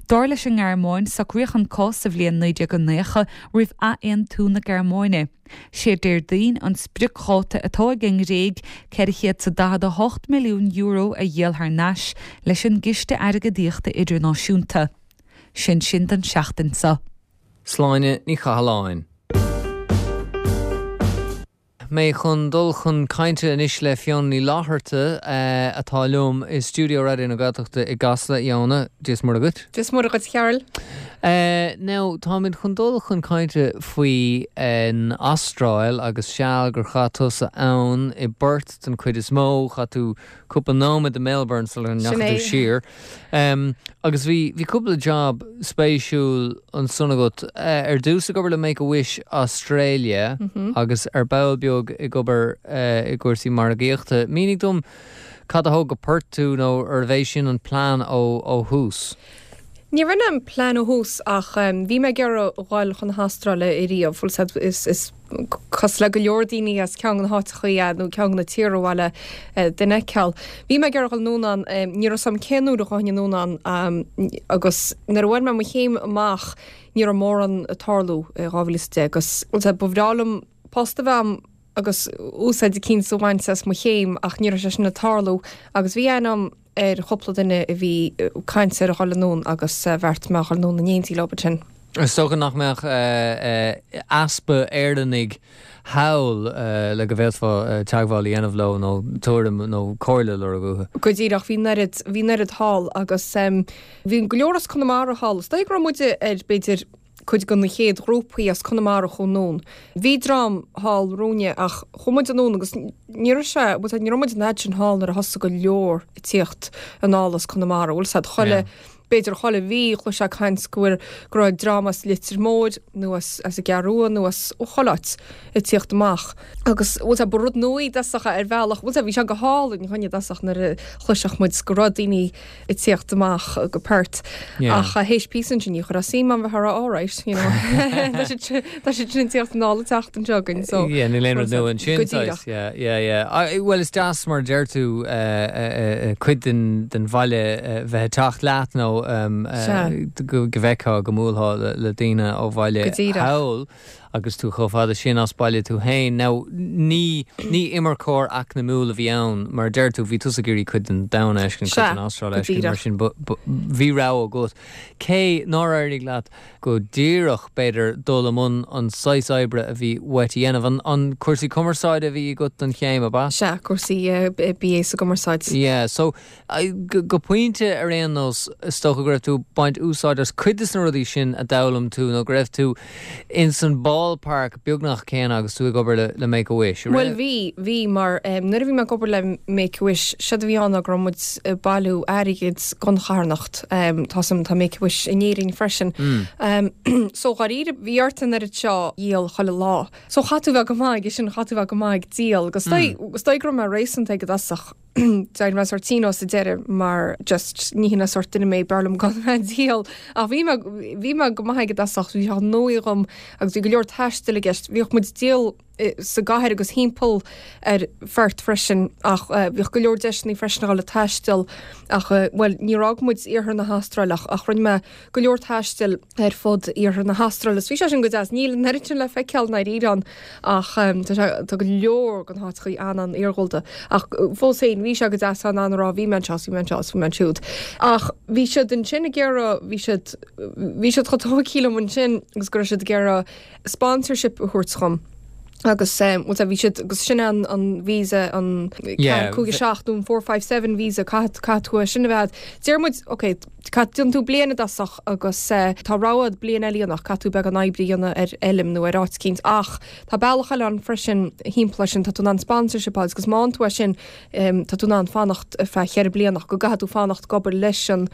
Dar leis an nGearmáin, socraíodh an cás sa bhliain naoi déag naocha roimh athaontú na Gearmáine. Sé Déardaoin an spriocdháta atá ag an nGréig ceithre chéad 's a daichead a hocht milliún euro a dhíol thar n-ais leis an gCiste Airgeadaíochta Idirnáisiúnta. Sin sin don seachtain seo. Sláine Ní Chathalláin. Mé chun dul chun cainte anois le Fiona Ní Fhlatharta atá liom i stiúideo Raidió na Gaeltachta i gCasla. A Fhiona, Dia is Muire dhuit. Dia is Muire dhuit, a Chearúil. Now, táimid chun dul chun cainte faoi an Astráil agus seal gur chaith tusa ann i bPerth den chuid is mó, chaith tú cúpla nóiméad i Melbourne sula ndeachaigh tú siar. Agus bhí bhí cúpla job spéisiúil ansan agat. Ar dtús ag obair le Make a Wish Australia agus ar ball beag ag obair i gcúrsaí margaíochta. Mínigh dom cad a thug go Perth tú nó arbh é sin an plean ó ó thús? Ní rinne mé plean ó thús ach bhí mé ag iarraidh dhul chun na hAstráile ariamh, bhfuil 's a'd is is cosúil le go leor daoine as ceann de na háiteachaí nó ceann de na tíortha ar mhaith le duine a fheiceáil. Bhí mé ag iarraidh dhul anonn ann, ní raibh 's a'm cén uair a ghabhfainn anonn ann agus nuair a bhain mé mo chéim amach ní raibh mórán ag tarlú i dhá mhíle is a deich agus bhfuil 's a'd ba bhreá liom post a bheith a'm agus úsáid eicínt a bhaint as mo chéim ach ní raibh sé sin ag tarlú agus bhí aithne a'm ar chúpla duine a bhí ag caint ar a dhul anonn agus bheartaigh mé a dhul anonn in éindí leo ansin. Is dócha nach mbeadh easpa Éireannaigh thall le go bhféadfá teagmháil a dhéanamh leo nó tuairim nó comhairle a lorg uathu. Go díreach, bhí an oiread, bhí an oiread thall agus bhí go leor as Conamara thall. Is dóigh go raibh muide ar b'fhéidir cuid de na chéad ghrúpaí as Conamara a chuaigh anonn. Bhí dream thall roimhe ach chuaigh muid anonn agus ní raibh sé, bhuel ní raibh muid an fhad sin thall nuair a thosaigh go leor ag tíocht anall as Conamara, bhfuil 's a'd, chuile, b'fhéidir chuile mhí chloisfeá caint go bhfuil, go raibh dream as Leitir Móir nó as, as an gCeathrú Rua nó as ó chuile áit ag tíocht amach. Agus bhfuil 's a'd, ba rud nua i dtosach ar bhealach, bhfuil 's a'd, bhí sé go hálainn dhúinne i dtosach nuair a chloisfeadh muid go raibh daoine ag tíocht amach go Perth. Yeah. Ach théis píosa ansin ní chuirfeá suim ann bheith ag rá alright, you know. Tá siad sin, tá siad sin ag tíocht anall an tseachtain seo chugainn, so. Yeah, níl aon rud nua ansin, Go díreach. saghas, yeah, yeah, yeah. Ah, bhuel, is deas mar a deir tú, eh, eh, eh, cuid den, den bhaile, eh, bheith ag teacht leat nó, um, eh, Sea. go, go bhfeicfeá, go mbuailfeá le, le daoine ó bhaile Go díreach. thall agus tú chomh fada sin as baile tú féin. Now, ní, ní imirceoir eacnamúil a bhí ann, mar a deir tú, bhí tusa ag iarraidh cuid den domhan a fheiscint, cuid Sea, den Astráil go a fheiscint, mar díreach. sin, bu, bu, bhí rogha agat. Cé nár éirigh leat go díreach, b'fhéidir, dul i mbun an saghas oibre a bhí uait a dhéanamh, an, an cúrsaí cumarsáide a bhí agat don chéim, ab ea? Sea, cúrsaí, eh, B A sa gcumarsáid. Yeah, so, I, go, go pointe ar aon nós, is dócha go raibh tú ag baint úsáid as cuid de na rudaí sin a d'fhoghlaim tú nó go raibh tú in san ballpark beagnach céanna agus tú ag obair le, le Make a Wish. Bhuel bhí, bhí mar um, nuair a bhí mé ag obair le Make a Wish, séard a bhí ann ná go raibh muid ag bailiú airgid don charthanacht. Um, tá sam tá Make a Wish in Éirinn freisin. Mm. Um, so dháiríre bhí ort an oiread seo a dhíol chuile lá. So chaithfeá bheith go maith sin chaithfeá bheith go maith ag díol, agus mm. is dóigh go raibh mé réasúnta ag i dtosach. D'éirigh mé sórt tinn sa deireadh mar just ní hin an sórt duine mé b'fhearr liom gan bheith ag díol. Ach bhí mé bhí mé go maith ag i dtosach, bhí sé nua dhom agus bhí go leor taistil i gceist. Bhíodh muid ag díol eh, sa gcathair agus timpeall ar Pherth freisin ach uh, bhíodh go leor deiseanna freisin a dhul ag taisteal ach uh, well níor fhág muid iarthar na hAstráile ach ach rinne mé go leor taistil ar fud iarthar na hAstráile. Bhí sé sin go deas níl an oiread sin le feiceáil na Éireann ach um, tá sé tá go leor den háiteachaí an an iargúlta ach uh, fós féin bhí sé go deas an an rá bhí mé anseo bhí mé anseo bhí mé ansiúd. Ach bhí siad ansin ag iarraidh bhí siad bhí siad chomh tógtha liom ansin agus go raibh siad ag iarraidh sponsorship a thabhairt dhom. Agus um, well, bhí siad agus sin an an visa an Yeah, cúig seacht nó four five seven visa caithfidh caithfidh tú sin a bheith. Deir muid ok déanann tú bliain i dtosach agus uh, tá rogha bliain eile ann ach caithfidh tú beagán oibre a dhéanamh ar fheirm nó ar áit eicínt ach tá bealach eile ann freisin timpeall sin tá tú in ann sponsorship agus má tú é sin um, tá tú in ann fanacht feadh ceithre bliana go gcaithfidh tú fanacht ag obair leis an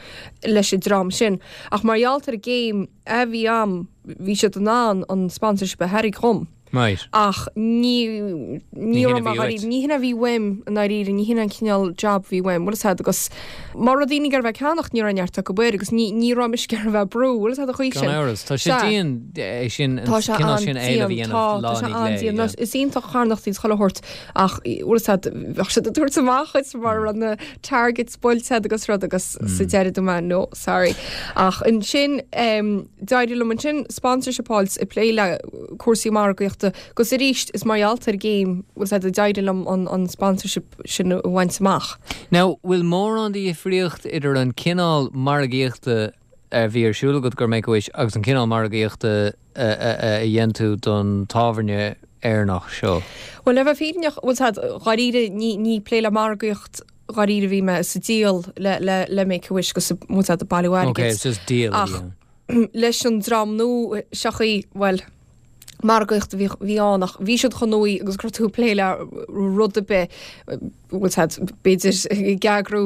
leis an dream sin. Ach mar gheall ar an gcéim a bhí agam bhí siad in ann an sponsorship a thabhairt dhom. Right. Ach ní ní Ní hin a raibh bhí mé uait. ní hin a bhí uaim i ndáiríre ní hin an cineál job bhí uaim, bhfuil a fhios agus má raibh daoine ag iarraidh bheith ag ceannach ní raibh neart acu air agus ní ní raibh mise ag iarraidh bheith ag brú, bhfuil a fhios agat chuige Gan sin. amhras, tá sé Sea. dian é sin an Tá sé cineál sin éileamh a an-dian, dhéanamh tá lá tá sé ní lé, an-dian. yeah. Is iontach carthanachtaí chuile shórt ach bhfuil a fhios agat bheadh siad ag tabhairt amach is mar an na targets buailte agus rud agus sa Mm. deireadh dúirt mé no sorry. Ach ansin um, d'éirigh liom ansin sponsorship a fháil ag plé le cúrsaí margaíochta agus arís is mar gheall ar an gcéim bhfuil a fhios agat d'éirigh liom an, an sponsorship sin a bhaint amach. Now, bhfuil mórán de dhifríocht idir an cineál margaíochta a bhí ar siúl agat do Make a Wish agus an cineál margaíochta a, a, a a dhéan tú don tábhairne Éireannach seo. Well le bheith fírinneach bhfuil a fhios agat dháiríre ní ní plé le margaíocht dháiríre bhí mé sa díol le le le Make a Wish agus bhfuil a fhios agat bailiú Okay, airgid. it's just díol. Ach leis an dream nua seachaí well margaíocht bhí bhí ann ach bhí siad chun nuaí agus gur tú plé le rud ar bith bhfuil a fhios agat b'fhéidir ag eagrú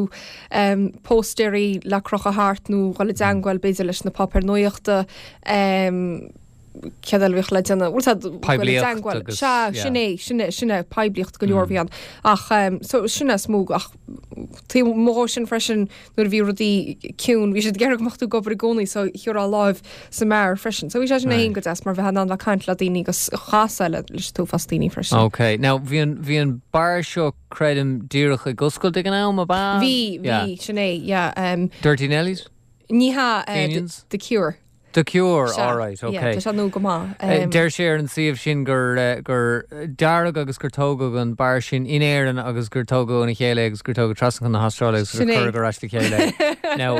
um, póstaerí le crochadh thart nó dhul i dteagmháil b'fhéidir leis na páipéir nuachta um, céard eile a bhíodh le déanamh, bhfuil siad Poiblíocht agus- Sea, yeah. sin é, sin é, sin é poiblíocht go leor a bhí ann. Ach um, so sin é is mó ach taobh amuigh dhó sin freisin nuair a bhí rudaí ciúin, bhí siad ag iarraidh go mbeadh tú ag obair i gcónaí so thiúrfá láimh sa mbeár freisin. So bhí sé sin Right. féin go deas mar bheith in ann bheith caint le daoine agus chasadh le leis an t-uafás daoine freisin. Ok, now bhí an bhí an beár seo creidim díreach ag oscailt ag an am ab ea? Bhí, Yeah. bhí, sin é, yeah. Um, Dirty Nellies? ní hea uh, the, Fenians? the Cure. The Cure, Sea, all right, yeah, okay. Tá sé nua go maith. Eh, Um, Deir sé ar an suíomh sin gur eh, gur dearadh agus gur tógadh an beár sin in Éirinn agus gur tógadh óna chéile agus gur tógadh trasna chun na hAstráile agus gur Sin é. cuireadh ar ais le chéile. Now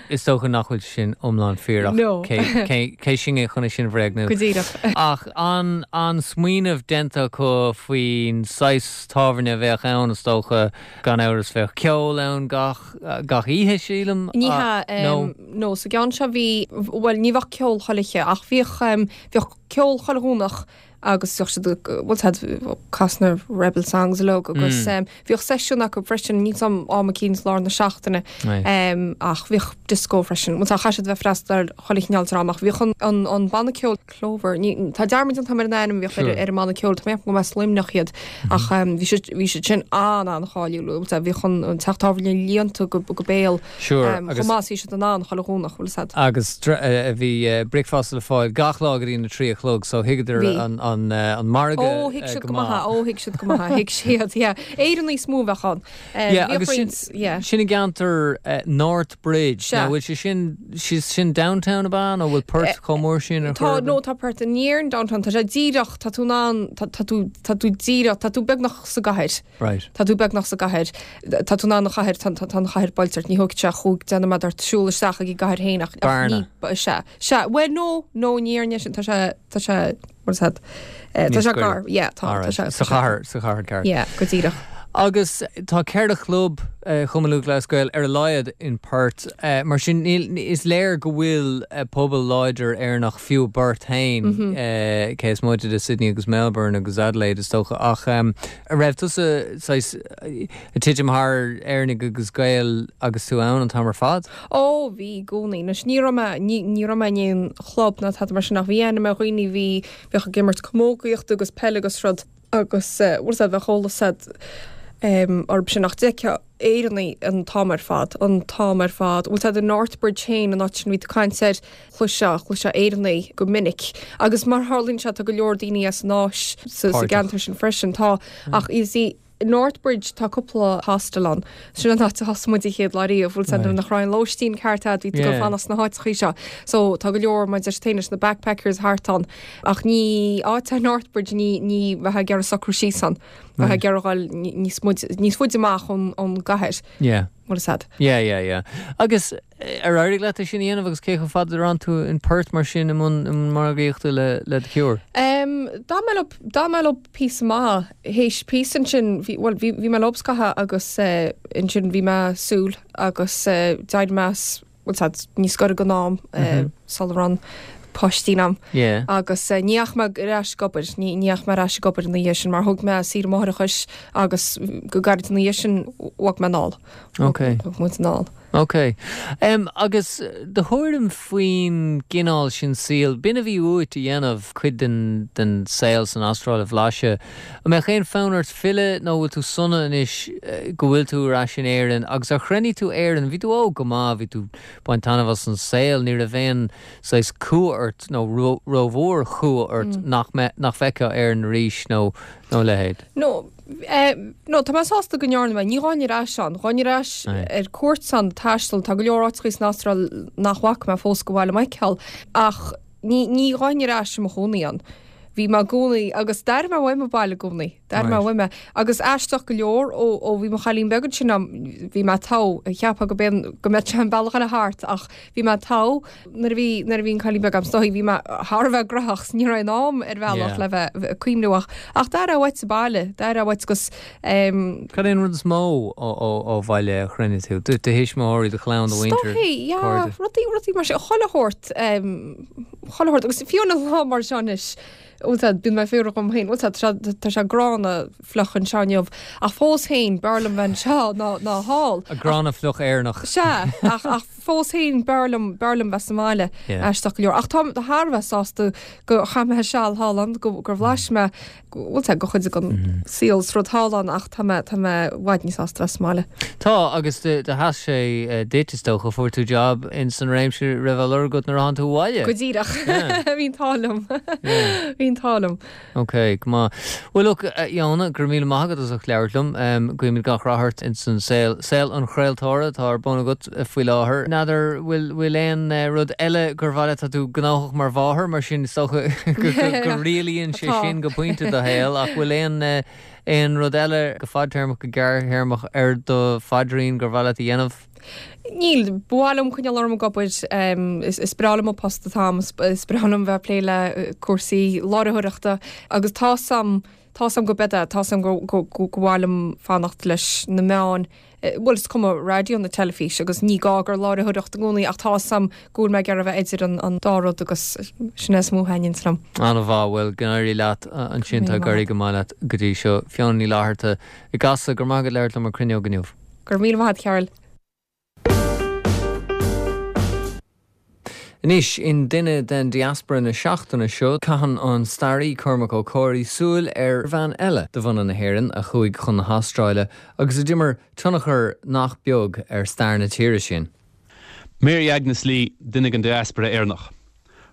is dócha nach bhfuil sin iomlán fíor ach No. cé cé- cé sinne chun é sin a bhréagnú. Go díreach. Ach an an smaoineamh déanta acu faoin saghas tábhairne a bheadh ann is dócha gan amhras bheadh ceol ann gach gach oíche sílim. Ní Ah, hea no. um, nó sa gceann seo bhí well ní bheadh ceol chuile oíche ach bhíodh um, bhíodh ceol chuile Dhomhnach agus bhíodh siad bhfuil siad casadh na Rebel Songs uilig agus Mm. um, bhíodh seisiún acu freisin ní am am cinn lár na seachtaine Right. um, ach bhíodh disco freisin. Tá chaithfeá bheith freastal ar chuile chineál tráth ach bhíodh an, an, an banna ceoil Clover ní, tá dearmad an ar an ainm bhíodh Sure. ar, ar an mbanna ceoil tá mé go as Luimneach iad ach um, bhí siad bhí siad sin an an-cháiliúil bhíodh an an teach tábhairne líonta go, go béal Sure, um, agus chomh maith bhí siad an an chuile Dhomhnach bhfuil siad. agus dre- eh, bhí eh, bricfeasta le fáil gach lá go dtí na trí a chlog, so thuigeadar Bhí. an an eh, an margadh Ó thuig eh, siad go maith ó thuig siad go maith thuig siad yeah. Éireannaigh is mó a bheadh ann. Um, Yeah, bhíodh agus sin, roinnt- yeah. sin i gceantar uh, North Bridge. Sea. Now, bhfuil sé sin sí sin downtown ab ea nó bhfuil Perth chomh mór sin ar Tá chor ar nó bith? tá Perth near an downtown tá sé díreach tá tú an tá tá tú tá tú díreach tá tú beagnach sa gcathair. Right. Tá tú beagnach sa gcathair Tá tú an chathair tá tá an chathair buailte ní thógfaidh sé chúig deich nóiméad ort siúl isteach ag i gcathair féin ach ach Bearna. ní ba se se well no no ní sin tá sé tá sé what is that Eh, tá Níos sé gaire. gar yeah tá All tá right. sé Sa chathair sa chathair ceart. yeah go díreach Agus tá ceithre chlub uh, Chumann Lúthchleas Gael ar a laghad in Perth uh, mar sin níl- is léir go bhfuil uh, pobal láidir Éireannach fiú i bPerth féin mm -hmm. uh, cé is moite de Sydney agus Melbourne agus Adelaide is dócha ach um, a raibh tusa ag titim thar Éireannaigh agus Gaeil agus tú ann an t-am ar fad? Ó bhí i gcónaí na ní raibh mé ní raibh mé in aon chlub ná tada mar sin ach bhí aithne agam ar dhaoine bhí bheadh ag imirt camógaíocht agus peil agus rud agus bhfuil bheith eolas um, orthu sin ach d'fheicfeá Éireannaigh an t-am ar fad an t-am ar fad. Bhfuil tá North Bridge féin an áit sin bhí tú caint air chloisfeá chloisfeá Éireannaigh go minic. Agus mar tharlaíonn sé tá go leor daoine as an Áis sa sa Páirteach. gceantar sin freisin tá ach is í North Bridge tá cúpla hostel ann. Sin an áit a thosaigh muid an chéad lá riamh bhfuil Right. nach raibh lóistín ceart bhí go Yeah. fanacht sna háiteacha seo. So tá go leor mar deir téis na backpackers thart ann ach ní áit North Bridge ní ní bheifeá ag iarraidh socrú síos ann. Bheifeá ag iarraidh dul níos níos faide amach ón ón gcathair Yeah. bhfuil siad. Yeah, yeah, yeah. Agus eh, ar éirigh leat é sin a dhéanamh agus cé chomh fada a d'fhan tú in Perth mar sin i mbun i mbun margaíochta le le The Cure. Um, dá mé dá mé pí má héis pí sin bhí well, bhí bhí mé lobscatha agus uh, ansin bhí mé súil agus uh, d'éirigh mé well, sad, níos gaire don am uh, sula raibh páistí agam. Yeah. agus uh, ní dheachaigh mé ar ais ag obair ní dheachaigh mé ar ais ag obair ina dhiaidh sin mar thug mé saoire máithreachais agus go gairid ina dhiaidh sin bhog mé anall. Okay. Bhog muid anall. Ok. Um, agus do thuairim faoin gcineál sin saoil, b'in a bhí uait a dhéanamh cuid den, den saol san Astráil a bhlaiseadh. An mbeadh aon fhonn ort filleadh nó bhfuil tú sona anois eh, go bhfuil tú ar ais in Éirinn, agus ar chronaigh tú Éirinn, bhí tú óg go maith, bhí tú baint taitneamh as an saol, ní raibh aon saghas cumha ort nó ró- rómhór chumha ort mm. nach, me, nach bhfeicfeá Éirinn arís nó nó leithéid. No, eh, no tá mé sásta go ndearna mé, ní ghabhfainn ar ais ann, ghabhfainn ar ais Aye. ar cuairt ann taisteal tá go leor áiteacha san Astráil nach bhfaca mé fós go bhfuil Michael ach ní ní ghabhfainn ar ais i mo chónaí ann. Bhí mé i gcónaí agus d'airigh mé uaim an baile i gcónaí, d'airigh mé Right. uaim é. agus aisteach go leor ó ó bhí mo chailín beag sin am bhí mé togha cheapfá go ben go mbeadh sé an bealach eile thart ach bhí mé togha nuair a bhí nuair a bhí an cailín beag agam stoi bhí mé thar a bheith gnóthach ní raibh am ar bhealach Yeah. le bheith cuimhneach ach d'airigh uait sa baile d'airigh uait gus um, Cad é an rud is mó ó, ó, ó bhaile a chronaigh tú, do thuismitheoirí do chlann do mhuintir. Stoi, ja, cairde. rudaí rudaí mar sin chuile shórt um, chuile shórt agus fiú an lá mar seo anois bíonn mé fuar dom féin tá sé gránna fliuch anseo inniu ach fós féin b'fhearr liom bheith anseo ná ná thall. A gránna fliuch Éireannach. Se ach ach fós féin b'fhearr liom b'fhearr liom bheith sa mbaile aisteach go leor. Ach tá thar a bheith sásta go chaith mé seal thall ann go gur bhlais mé bhfuil sé go chuid den mhm. saol is rud thall ann ach tá mé tá mé i bhfad níos sásta bheith sa mbaile. Tá agus do sheas sé eh, duit is dócha fuair tú job in san réimse a raibh á lorg agat nuair a tháinig tú abhaile. Go díreach bhí an t-ádh liom bhí an t-ádh liom. Ok, go maith. Well look, eh, Iona, go raibh míle maith agat as ucht labhairt liom. Um, Guímid gach rath ort in san saol saol an chraoltóra atá ar bun agat eh, faoi láthair. N'fheadar bhfuil bhfuil aon eh, rud eile gur mhaith leat tá tú gnóthach mar mháthair mar sin is dócha go go rialaíonn sé sin go pointe do shaol ach bhfuil aon aon rud eile go fadtéarmach go gearrthéarmach ar do phaidrín gur mhaith leat a dhéanamh? Níl ba mhaith liom coinneáil orm ag obair is is breá liom an post atá agam is breá liom bheith ag plé le cúrsaí láithreoireachta agus tá sam tá sam go b'fhéidir tá sam go go go go mhaith liom fanacht leis na meáin bhuel is cuma raidió nó teilifís agus ní gá gur láithreoireacht i gcónaí ach tá sam go bhfuil mé ag iarraidh a bheith idir an an dá rud agus sin is mó a thaitníonns liom. An-mhaith bhuel go n-éirí leat ansin tá ag éirí go maith leat go dtí seo. Fiona Ní Fhlatharta i gCasla go raibh maith agat labhairt liom ar Cruinneog inniu. Go raibh míle maith agat Cearl. Anois in Duine den Diaspora na seachtaine seo caitheann an staraí Cormac Ó Comhraí súil ar bhean eile de bhunadh na hÉireann a chuaigh chun na hAstráile agus a d'imir tionchar nach beag ar stair na tíre sin. Mary Agnes Lee duine den diaspora Éireannach.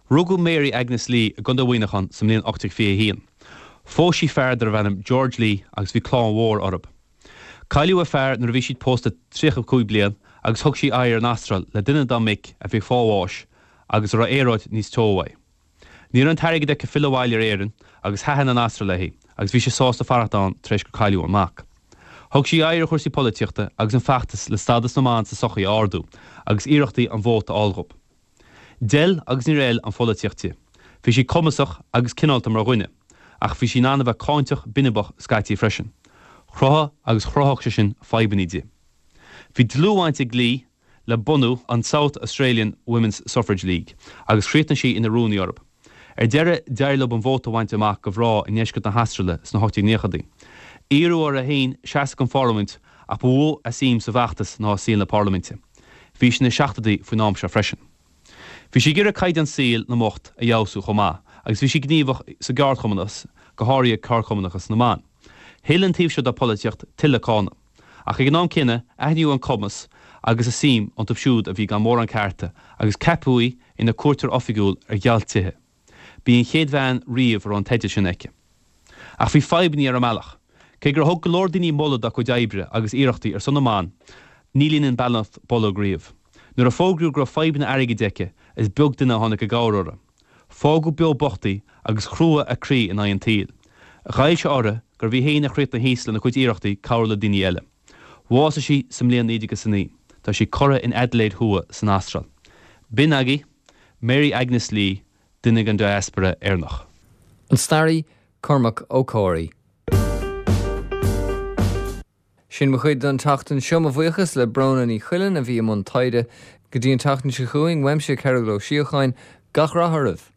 Rugadh Mary Agnes Lee i gContae Mhuineacháin sa mbliain ocht déag fiche a haon. Phós sí fear darbh ainm George Lee agus bhí clann mhór orthu. Cailleadh a fear nuair a bhí siad pósta tríocha cúig bliain agus thug sí aghaidh ar an Astráil le duine dá mic a bhí ag fáil bháis agus a raibh aeráid níos teo uaidh. Ní raibh an t-airgead aici filleadh abhaile ar Éirinn agus thaitin an Astráil léi agus bhí sí sásta fanacht ann tar éis gur cailleadh an mac. Thug sí aghaidh ar chúrsaí polaitíochta agus an feachtas le stádas na mban sa sochaí a ardú agus iarrachtaí an vóta a fháil dhóibh. D'fheil agus níor fheil an pholaitíocht di. Bhí sí cumasach agus cineálta mar dhuine, ach bhí sí in ann a bheith cáinteach binibeach scaití freisin. Chruthaigh agus chruthódh sé sin fadhbanna di. Bhí dlúthbhaint ag Lee le bunú an South Australian Women's Suffrage League agus chríochnaigh sí ina rúnaí orthu. Ar deireadh, d'éirigh leo an vóta a bhaint amach do mhná i ndeisceart na hAstráile sna hocht déag naochaidí. Iarradh uirthi féin seasamh don pharlaimint ach ba mhó a suim sa bhfeachtas ná i saol na parlaiminte. Bhí sí ina seachadaí faoin am seo freisin. Bhí sí ag iarraidh caighdeán saoil na mbocht a fheabhsú chomh maith agus bhí sí gníomhach sa gceardchumannachas, go háirithe ceardchumannachas na mban. Thuill an taobh seo dá polaitíocht tuilleadh cáineadh. Ach ag an am céanna, aithníodh an cumas agus a suim iontu siúd a bhí gan mórán cearta agus ceapadh í ina cuairteoir oifigiúil ar ghealt-tithe. B'í an chéad bhean riamh a raibh an teideal sin aici. Ach bhí fadhbanna ar an mbealach. Cé gur thug go leor daoine moladh dá cuid oibre agus iarrachtaí ar son na mban, ní líonann beannacht bolg riamh. Nuair a fógraíodh go raibh fadhbanna airgid aici, is beag duine a tháinig i gcabhair uirthi. Fágadh beo bocht í agus chrua a croí in aghaidh an tsaoil. Ghoill sé uirthi gurbh í féin a chríochnaigh thíos lena cuid iarrachtaí cabhrú le daoine eile. Bhásaigh sí sa mbliain naoi déag is a naoi. Tá sí curtha in Adelaide Thuaidh san Astráil. B'in agaibh Mary Agnes Lee, duine den diaspora Éireannach. An staraí Cormac Ó Comhraí. Sin mo chuid don tseachtain seo mo bhuíochas le Bróna Ní Chuilinn a bhí i mbun taighde go dtí an tseachtain seo chugainn, uaimse Cearbhall Ó Síocháin, gach rath oraibh.